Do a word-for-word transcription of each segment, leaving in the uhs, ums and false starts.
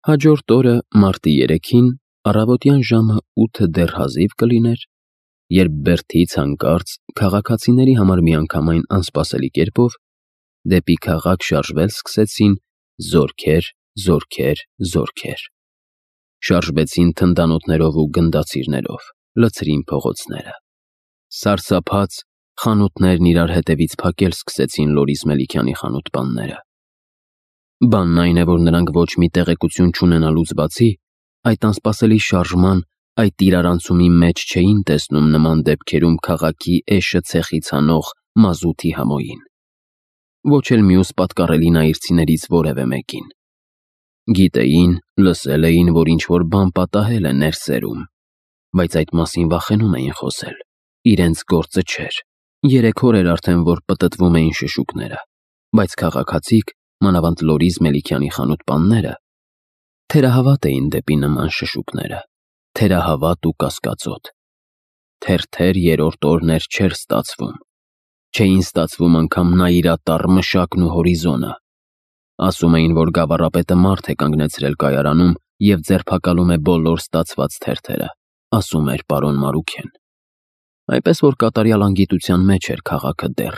Հաջորդ օրը մարտի երեքին առավոտյան ժամը ութը դեռ հազիվ կլիներ, երբ Բերթից հանկարծ քաղաքացիների համար միանգամայն անսպասելի կերպով դեպի քաղաք շարժվել սկսեցին զորքեր, զորքեր, զորքեր։ Շարժվեցին թնդանոթներով ու գնդացիրներով, լցրին փողոցները։ Սարսափած խանութներն իրար հետևից փակել սկսեցին Լորիս Մելիքյանի խանութպանները։ Բանն այն է, որ նրանք ոչ մի տեղեկություն չունենալուց բացի, այդ անսպասելի շարժման, այդ իրարանցումի մեջ չէին տեսնում նման դեպքերում քաղաքի էշը ցեխից հանող մազութի համոյին։ Ոչ էլ մյուս պատկառելի նայիրցիներից որևէ մեկին։ Գիտեին, լսել էին, որ ինչ-որ բան պատահել է ներսերում, բայց այդ մասին վախենում էին խոսել, իրենց գործը չէր։ Երեք օր էր արդեն, որ պտտվում էին շշուկները, բայց քաղաքացիք, մանավանդ Լորիս Մելիքյանի խանութպանները, թերահավատ էին դեպի նման շշուկները, թերահավատ ու կասկածոտ։ Թերթեր երրորդ օրն էր չէր ստացվում, չէին ստացվում անգամ նայիրատառ մշակն ու հորիզոնը։ Ասում էին, որ գավառապետը մարդ է կանգնեցրել կայարանում և ձերբակալում է բոլոր ստացված թերթերը, ասում էր պարոն Մարուքեն։ Այնպես որ կատարյալ անգիտության մեջ էր քաղաքը դեռ,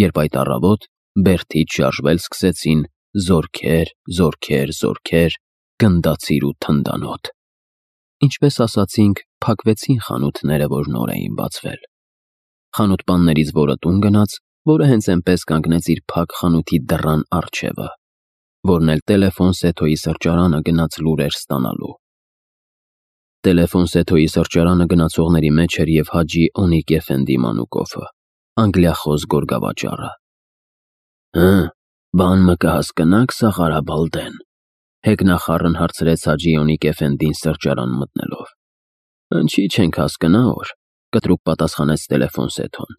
երբ այդ առավոտ Բերթից շարժվել սկսեցին զորքեր, զորքեր, զորքեր, գնդացիր ու թնդանոթ։ Ինչպես ասացինք, փակվեցին խանութները, որ նոր էին բացվել։ Խանութպաններից որը տուն գնաց, որը հենց այնպես կանգնեց իր փակ խանութի դռան առջևը, որն էլ Տելեֆոն Սեթոյի սրճարանը գնաց լուրեր ստանալու։ Տելեֆոն Սեթոյի սրճարանը գնացողների մեջ էր և Հաջի Օնիկ Էֆենդի Մանուկովը, անգլիախոս գորգավաճառը։ «Հը, բան մը կհասկնաք, Սաղարաբալդեն», հեգնախառն հարցրեց Հաջի Օնիկ Էֆենդին սրճարան մտնելով։ «Ընչի չենք հասկնա օր», կտրուկ պատասխանեց Տելեֆոն Սեթոն։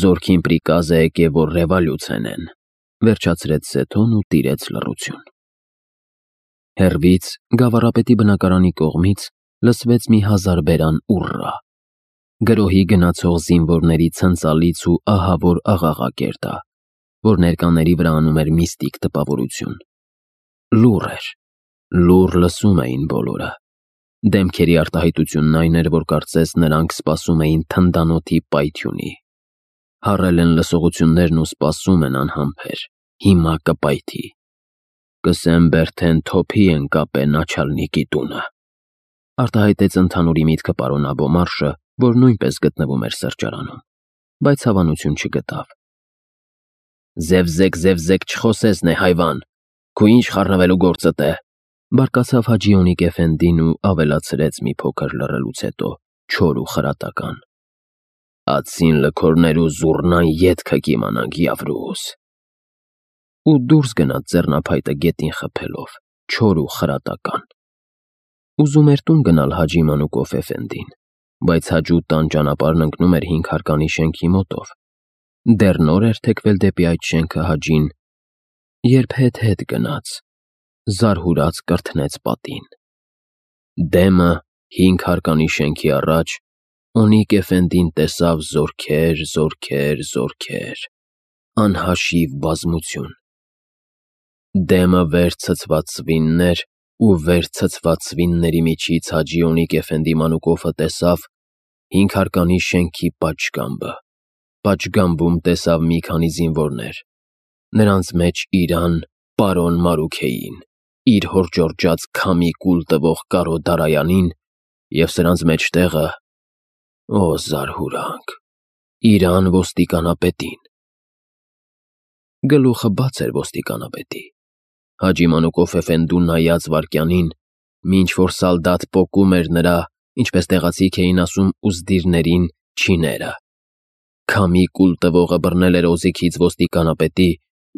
«Զորքին պրիկազ է եկե, որ ռևալյուցենեն», վերջացրեց Սեթոն ու տիրեց լռություն։ Հեռվից, գավառապետի բնակարանի կողմից լսվեց մի հազարբերան ուռռա։ Գրոհի գնացող զինվորների ցնծալից ու ահավոր աղաղակ էր դա, որ ներկաների վրա անում էր միստիկ տպավորություն։ Լուռ էր, լուռ լսում էին բոլորը։ Դեմքերի արտահայտությունն այն էր, որ կարծես նրանք սպասում էին թնդանոթի պայթյունի։ Հառել են լսողություններն ու սպասում են անհամբեր, հիմա կպայթի։ «Կսեմ Բերթեն թոփի են կապե Նաչալնիկի տունը», արտահայտեց ընդհանուրի միտքը պարոն Աբոմարշը, որ նույնպես գտնվում էր սրճարանում, բայց հավանություն չգտավ։ «Զևզեք, զևզեք չխոսես նե հայվան, քու ինչ խառնվելու գործդ է», բարկացավ Հաջի Օնիկ Էֆենդին ու ավելացրեց մի փոքր լռելուց հետո չոր ու խրատական. «Ացին լքորներ ու զուռնան ետքը կիմանանք Եվրուս»։ Ու դուրս գնաց ձեռնափայտը գետին խփելով, չոր ու խրատական։ Ուզում էր տուն գնալ Հաջի Մանուկով Էֆենդին, բայց հաջու տան ճանապարհն ընկնում էր հինգ հարկանի շենքի մոտով։ Դեռ նոր էր թեքվել դեպի այդ շենքը Հաջին, երբ հետ-հետ գնաց, զարհուրած կրթնեց պատին։ Դեմը հինգ հարկանի շենքի առաջ Օնիկ Էֆենդին տեսավ զորքեր, զորքեր, զորքեր, անհաշիվ բազմություն։ Դեմը վեր ցցված սվիններ ու վեր ցցված սվինների միջից Հաջի Օնիկ Էֆենդի Մանուկովը տեսավ հինգ հարկանի շենքի պատշգամբը։ Պատշգամբում տեսավ մի քանի զինվորներ, նրանց մեջ իրան, պարոն Մարուքեին, իր հոր ջորջած քամի կուլ տվող Կարո Դարայանին և սրանց մեջտեղը, օ զարհուրանք, իրան ոստիկանապետին։ Գլուխը բաց էր ոստիկանապետի։ Հաջի Մանուկով Էֆենդուն նայած վայրկյանին, մինչ որ սալդատ պոկում էր նրա, ինչպես տեղացիք էին ասում ուզդիրներին, չիները։ Քամի կուլ տվողը բռնել էր օձիքից ոստիկանապետի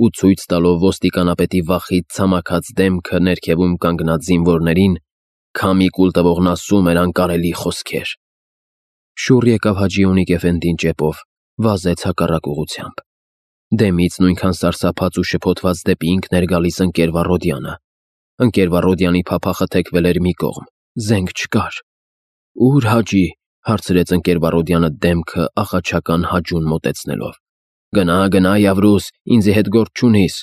ու ցույց տալով ոստիկանապետի վախից ցամաքած դեմքը ներքևում կանգնած զինվորներին, քամի կուլ տվողն ասում էր անկարելի խոսքեր։ Շուռ եկավ Հաջի Օնիկ Էֆենդին ճեպով, վազեց հակառակ ուղղությամբ։ Դեմից նույնքան սարսափած ու շփոթված դեպի ինքն էր գալիս ընկեր Վառոդյանը։ Ընկեր Վառոդյանի փափախը թեքվել էր մի կողմ, զենք չկար։ «Ո՞ւր Հաջի», հարցրեց ընկեր Վառոդյանը դեմքը աղաչական Հաջուն մոտեցնելով։ «Գնա, գնա Եվրուս, ինձի հետ գործ չունիս»,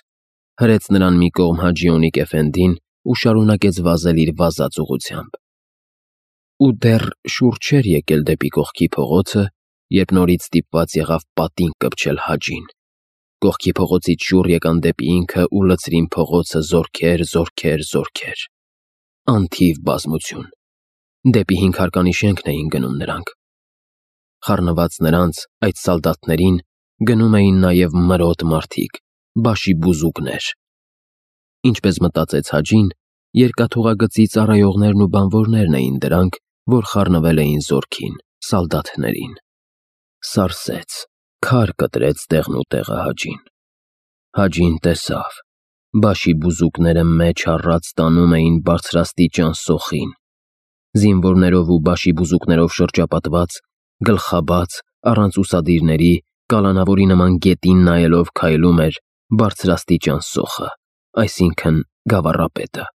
հրեց նրան մի կողմ Հաջի Օնիկ Էֆենդին ու շարունակեց վազել իր վազած ուղղությամբ։ Ու դեռ շուռ չէր եկել դեպի կողքի փողոցը, երբ նորից ստիպված եղավ պատին կպչել Հաջին։ Կողքի փողոցից շուռ եկան դեպի ինքը ու լցրին փողոցը զորքեր, զորքեր, զորքեր։ Անթիվ բազմություն։ Դեպի հինգհարկանի շենքն էին գնում նրանք։ Խառնված նրանց, այդ սալդատներին, գնում էին նաև մրոտ մարդիկ, բաշիբուզուկներ։ Ինչպես մտածեց Հաջին, երկաթուղագծի ծառայողներն ու բանվորներն էին դրանք, որ խառնվել էին զորքին, սալդատներին։ Սարսեց, քար կտրեց տեղն ու տեղը Հաջին։ Հաջին տեսավ, բաշիբուզուկները մեջ առած տանում էին բարձրաստիճան սոխին։ Զինվորներով ու բաշիբուզուկներով շրջապատված, գլխաբաց, առանց ուսադիրների, կալանավորի նման գետին նայելով քայլում էր բարձրաստիճան սոխը, այսինքն գավառապետը։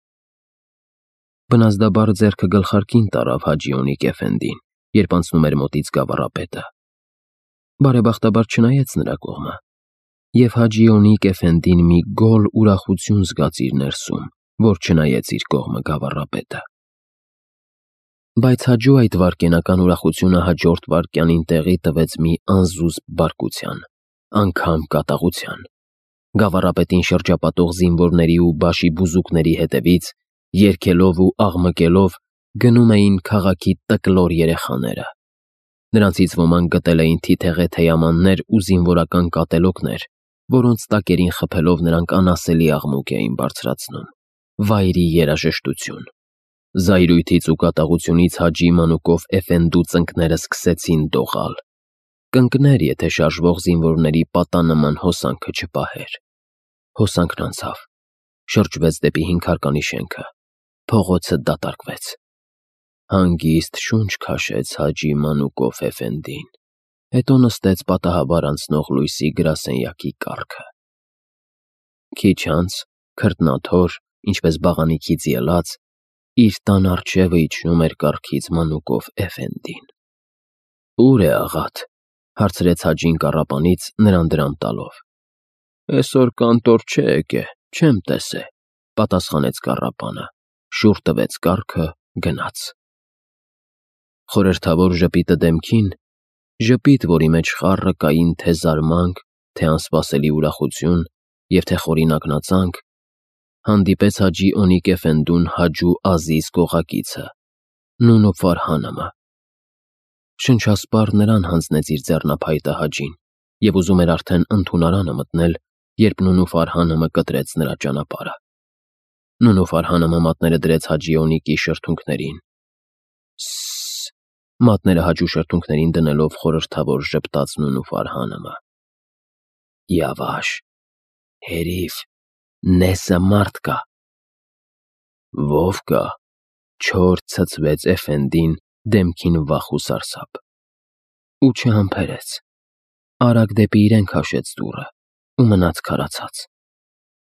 Բնազդաբար ձեռքը գլխարկին տարավ Հաջի Օնիկ Էֆենդին, երբ անցնում էր մոտից գավառապետը։ Բարեբախտաբար չնայեց նրա կողմը, և Հաջի Օնիկ Էֆենդին մի գոլ ուրախություն զգաց իր ներսում, որ չնայեց իր կողմը գավառապետը։ Բայց Հաջու այդ վայրկենական ուրախությունը հաջորդ վայրկյանին տեղի տվեց մի անզուսպ բարկության, անգամ կատաղության։ Գավառապետին շրջապատող զինվորների ու բաշիբուզուկների հետևից, երգելով ու աղմկելով, գնում էին քաղաքի տկլոր երեխաները։ Նրանցից ոմանք գտել էին թիթեղե թեյամաններ ու զինվորական կատելոկներ, որոնց տակերին խփելով նրանք անասելի աղմուկ էին բարձրացնում։ Վայրի երաժշտություն։ Զայրույթից ու կատաղությունից Հաջի մանուկով Էֆենդու ծնկները սկսեցին դողալ։ Կընկներ, եթե շարժվող զինվորների պատանման հոսանքը չպահեր։ Հոսանքն անցավ, շրջվեց դեպի հինգհարկանի շենքը, փողոցը դատարկվեց։ Հանգիստ շունչ քաշեց Հաջի մանուկով Էֆենդին, հետո նստեց պատահաբար անցնող լույսի գրասենյակի կառքը։ Քիչ անց, քրտնաթոր, ինչպես բաղանիքից ելած, իր տան առջևը իջնում էր կառքից մանուկով Էֆենդին։ «Ո՞ւր է աղադ», հարցրեց Հաջին կառապանից, նրան դրամ տալով։ «Էսօր կանտոր չէ եկե, չեմ տեսե», պատասխանեց կառապանը, շուռ տվեց կառքը, գնաց։ Խորհրդավոր ժպիտը դեմքին, ժպիտ, որի մեջ խառը կային թե զարմանք, թե անսպասելի ուրախություն և թե խորին ակնածանք, հանդիպեց Հաջի Օնիկ Էֆենդուն Հաջու Ազիզ կողակիցը, Նունո Ֆարհանըմը։ Շնչասպառ նրան հանձնեց իր ձեռնափայտը Հաջին և ուզում էր արդեն ընդունարանը մտնել, երբ Նունո Ֆարհանըմը կտրեց նրա ճանապարհը։ Նունո Ֆարհանըմը մատները դրեց Հաջի Օնիկի շրթունքներին։ «Սսս», մատները Հաջու շրթունքներին դնելով խորհրդավոր ժպտաց Նունո Ֆարհանըմը։ «Յավաշ, հերիվ, նեսը մարդ կա»։ «Ո՞վ կա», չոր ցցվեց Էֆենդին դեմքին վախ ու սարսափ։ Ու չհամբերեց։ Արագ դեպի իրեն քաշեց դուռը ու մնաց քարացած։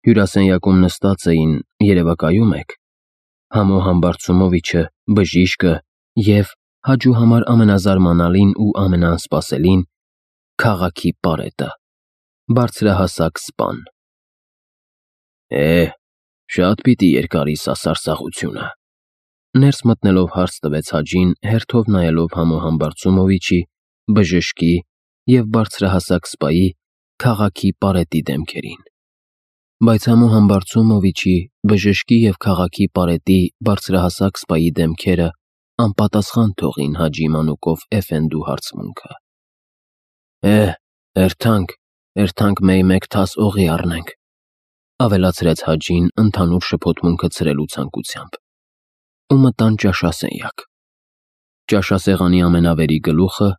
Հյուրասենյակում նստած էին, երևակայում եք, Համո Համբարձումովիչը, բժիշկը և Հաջու համար ամենազարմանալին ու ամենաանսպասելին քաղաքի պարետը, բարձրահասակ սպան։ «Է, շատ պիտի երկարի սա սարսափությունը», ներս մտնելով հարց տվեց Հաջին, հերթով նայելով Համո Համբարձումովիչի, բժշկի և բարձրահասակ սպայի քաղաքի պարետի դեմքերին։ Բայց Համո Համբարձումովիչի, բժշկի և քաղաքի պարետի բարձրահասակ սպայի դեմքերը անպատասխան թողին Հաջի մանուկով Էֆենդու հարցմունքը։ «Է, էրթանք, էրթանք մեկ թաս օղի առնենք», ավելացրեց Հաջին ընդհանուր շփոթմունքը ցրելու ցանկությամբ։ Ու մտան ճաշասենյակ։ Ճաշասեղանի ամենավերի գլուխը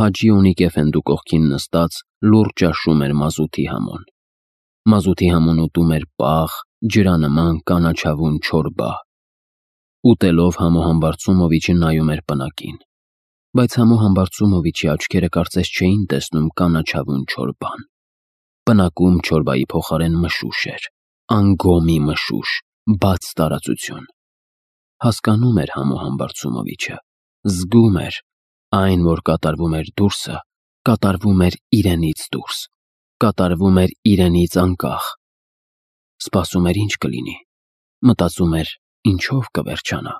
Հաջի Օնիկ Էֆենդու կողքին նստած լուռ ճաշում էր մազութի համոն։ Մազութի համոն ուտում էր պաղ, ջրանման կանաչավուն չորբա։ Ուտելով Համո Համբարձումովիչը նայում էր պնակին, բայց Համո Համբարձումովիչի աչքերը կարծես չէին տեսնում կանաչավուն չորբան։ Պնակում չորբայի փոխարեն մշուշ էր, անգոմի մշուշ, բաց տարածություն։ Հասկանում էր Համո Համբարձումովիչը, զգում էր, այն, որ կատարվում էր դուրսը, կատարվում էր իրենից դուրս, կատարվում էր իրենից անկախ։ Սպասում էր ինչ կլինի, մտածում էր ինչով կվերջանա,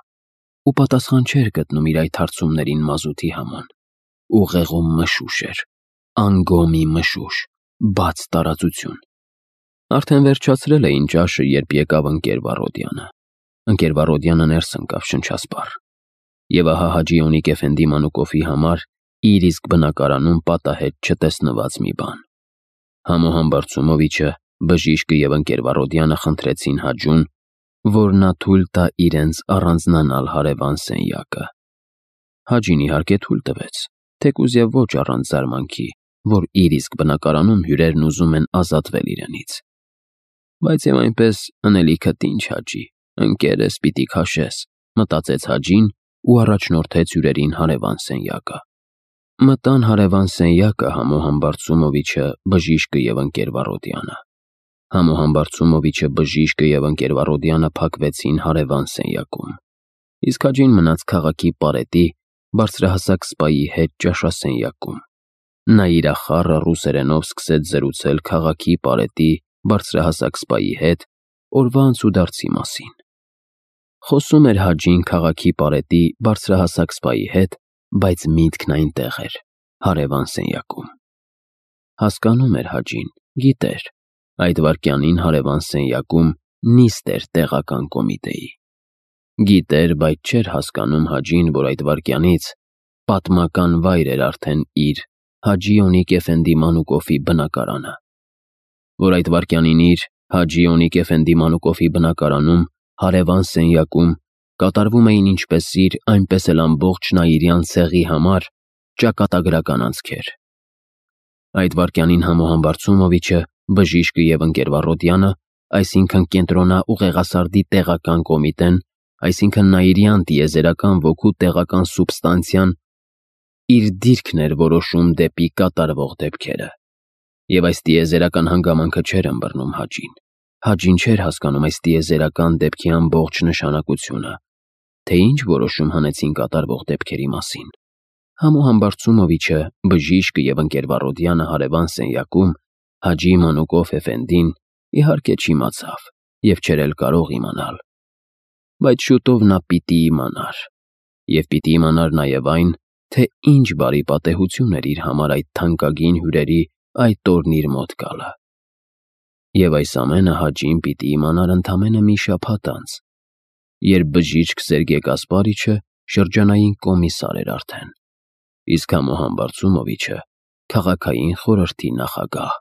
ու պատասխան չէր գտնում իր այդ հարցումներին մազութի համան։ Ուղեղում մշուշ էր, անգոմի մշուշ, բաց տարածություն։ Արդեն վերջացրել էին ճաշը, երբ եկավ ընկեր Վառոդյանը։ Ընկեր Վառոդյանը ներս ընկավ շնչասպառ։ Եվ ահա Հաջի Օնիկ Էֆենդի Մանուկովի համար իր իսկ բնակարանում պատահեց չտեսնված մի բան։ Համոհան Բարցումովիչը, բժիշկը և ընկեր Վառոդյանը խնդրեցին Հաջուն, որ նա թույլ տա իրենց առանձնանալ հարևան սենյակը։ Հաջին իհարկե թույլ տվեց, թեկուզ և ոչ առանց զարմանքի, որ իր իսկ բնակարանում հյուրերն ուզում են ազատվել իրենից։ Բայց և այնպես ընելիքդ ինչ Հաջի, ընկերս պիտի քաշես, մտածեց Հաջին ու առաջնորդեց հյուրերին հարևան սենյակը։ Մտան հարևան սենյակը Համոհան Բարցումովիչը, բժիշկը և ընկեր Վառոդյանը։ Համոհան Բարցումովիչը, բժիշկը և ընկեր Վառոդյանը փակվեցին հարևան սենյակում, իսկ Հաջին մնաց քաղաքի պարետի բարձրահասակ սպայի հետ ճաշասենյակում։ Նա իրախառը ռուսերենով սկսեց զրուցել քաղաքի պարետի բարձրահասակ սպայի հետ օրվա անցուդարձի մասին։ Խոսում էր Հաջին քաղաքի պարետի բարձրահասակ սպայի հետ, բայց միտքն այնտեղ էր, հարևան սենյակում։ Հասկանում էր Հաջին, գիտեր, այդ վայրկյանին հարևան սենյակում նիստ էր տեղական կոմիտեի։ Գիտեր, բայց չէր հասկանում Հաջին, որ այդ վայրկյանից պատմական վայր էր արդեն իր Հաջի Օնիկ Էֆենդի Մանուկովի բնակարանը, որ այդ վայրկյանին իր Հաջի Օնիկ Էֆենդի Մանուկովի բնակարանում հարևան սենյակում կատարվում էին ինչպես իր, այնպես էլ ամբողջ Նաիրյան ցեղի համար ճակատագրական անցքեր։ Այդ վայրկյանին Համոհան Բարցումովիչը, բժիշկը և ընկեր Վառոդյանը, այսինքն Կենտրոնա Ուղեղասարդի տեղական կոմիտեն, այսինքն Նաիրյան տիեզերական ոգու տեղական սուբստանցիան, իր դիրքն էր որոշում դեպի կատարվող դեպքերը։ Եվ այս տիեզերական հանգամանքը չէր ըմբռնում Հաջին։ Հաջին չէր հասկանում այս տիեզերական դեպքի ամբողջ նշանակությունը, թե ինչ որոշում հանեցին կատարվող դեպքերի մասին։ Համոհան Բարցումովիչը, բժիշկը և ընկեր Վառոդյանը հարևան սենյակում Հաջի Մանուկով Էֆենդին իհարկե չիմացավ և չէր էլ կարող իմանալ։ Բայց շուտով նա պիտի իմանար, և պիտի իմանար նաև այն, թե ինչ բարի պատեհություն էր իր համար այդ թանկագին հյուրերի այդ օրն իր մոտ գալը։ Եվ այս ամենը Հաջին պիտի իմանար ընդամենը մի շաբաթ անց, երբ բժիշկ Սերգեյ Կասպարիչը շրջանային կոմիսար էր արդեն, իսկ Համոհան Բարցումովիչը քաղաքային խորհրդի նախագահ։